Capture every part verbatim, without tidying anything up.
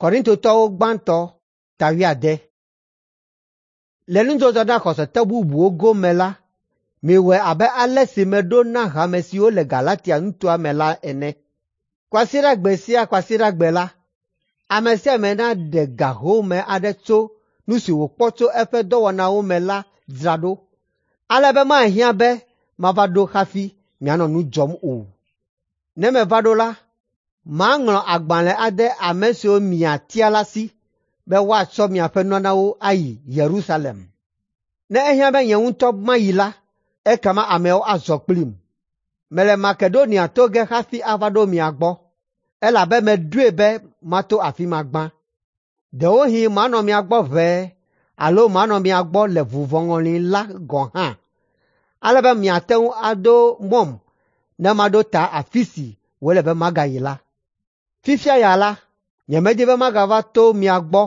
Korintotɔwo gbãtɔ ta wuiade. Le nudɔdɔ na xɔsetɔ bubuwo gome la, miwɔe abe ale si meɖo na hame siwo le Galatia nutoa me la ene. Kwasiɖagbe sia Kwasiɖagbe la, ame sia ame naɖe ga home aɖe tso nu si wòkpɔ tso eƒe dɔwɔnawo me la dzra ɖo, ale be mahiã be mava ɖo hafi mianɔ nu dzɔm o. Ne meva ɖo la, maŋlɔ agbalẽ ade ame siwo miatia la si be woatsɔ miaƒe nunanawo ayi Yerusalem. Ne ehiã be nye ŋutɔ mayi la, ekema ameawo azɔ kplim. Mele Makedonia to ge hafi ava ɖo mia gbɔ, elabe meɖoe be mato afi ma gbã. Ɖewohĩ manɔ mia gbɔ ʋɛe alo manɔ mia gbɔ le vuvɔŋɔli la gɔ̃ hã, ale be miate ŋu ado mɔm ne maɖo ta afi si wòle be magayi la. Fifia ya la, nyemedi be magava to mia gbɔ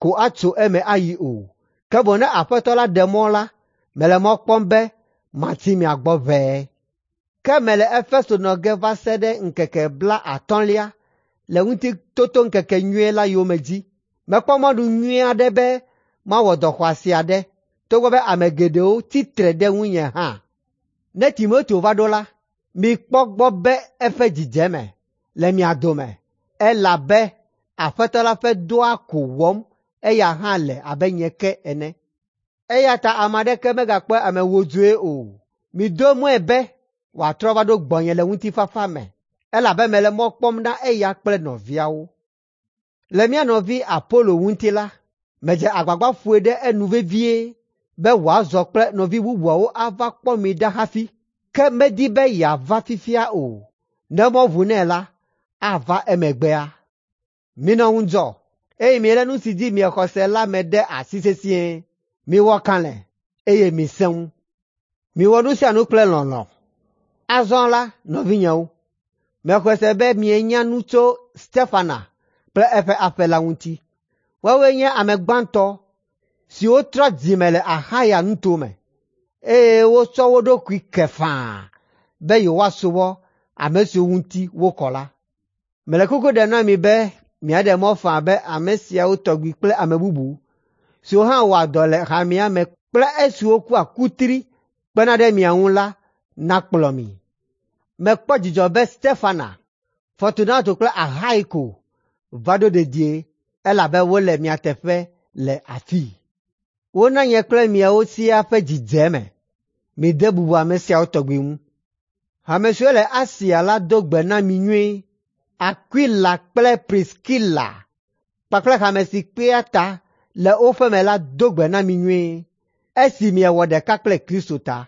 ko atso eme ayi o, ke boŋ ne Aƒetɔ la ɖe mɔ la, mele mɔ kpɔm be matsi mia gbɔ ʋɛe. Ke mele Efeso nɔ ge va se ɖe ŋkeke blaatɔ̃lia le Ŋutitotoŋkekenyui la yome dzi. Mekpɔ mɔnu nyui aɖe be mawɔ dɔ xɔasi aɖe, togbɔ be ame geɖewo tsi tre ɖe ŋunye hã. Ne Timoteo va ɖo la, mikpɔ gbɔ be eƒe dzidzeme le mia dome, elabe Aƒetɔ la ƒe dɔa ko wɔm eya hã le abe nye ke ene. Eya ta ame aɖeke megakpɔe ame wodzoe o. Mido mɔe be wòatrɔ va ɖo gbɔnye le ŋutifafa me, elabe mele mɔ kpɔm na eya kple nɔviawo. Le mía nɔvi Apolo ŋuti la, medze agbagba ƒoe ɖe enu vevie be wòazɔ kple nɔvi bubuawo ava kpɔ mi ɖa hafi, ke medi be yeava fifia o. Ne mɔ ʋu nɛ la, ava emegbea. Minɔ ŋudzɔ, eye milé nu si dzi miexɔ se la me ɖe asi sesĩe. Miwɔ kalẽ, eye misẽ ŋu. Miwɔ nu sia nu kple lɔlɔ̃. Azɔ la, nɔvinyewo, mexɔe se be mienya nu tso Stefana kple eƒe aƒe la ŋuti. Woawoe nye ame gbãtɔ siwo trɔ dzime le Axaya nutome, eye wotsɔ wo ɖokui ke faa be yewoasubɔ ame siwo ŋuti wokɔ la. Mele kuku ɖem na mi be miaɖe mɔ faa be ame siawo tɔgbi kple ame bubu siwo hã wɔa dɔ le hamea me kple esiwo kua kutri kpena ɖe mia ŋu la nakplɔ mi. Mekpɔ dzidzɔ be Stefana, Fortunato kple Ahaiko va ɖo dedie elabe wole mia teƒe le afii. Wona nye kple miawo siaa ƒe dzi dze eme. Mide bubu ame siawo tɔgbi ŋu. Hame siwo le Asia la do gbe na mi nyuie. Akwila kple Priskila kpakple hame si kpea ta le wo ƒeme la do gbe na mi nyuie, esi miewɔ ɖeka kple Kristo ta.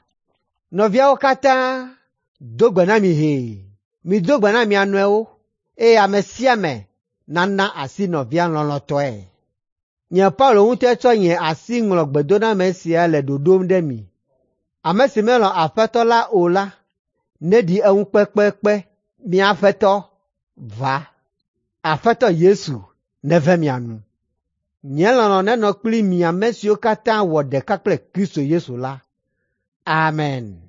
Nɔviawo katã do gbe na mi hee. Mido gbe na mia nɔewo eye ame sia ame nana asi nɔvia lɔlɔ̃tɔe. Nye Paulo ŋutɔe tsɔ nye asi ŋlɔ gbedoname sia le ɖoɖom ɖe mi. Ame si melɔ̃ Aƒetɔ la o la, neɖi eŋu kpekpekpe. Mía Aƒetɔ va. Aƒetɔ Yesu neve mia nu. Nye lɔlɔ̃ nenɔ kpli mi ame siwo katã wɔ ɖeka kple Kristo Yesu la. Amen.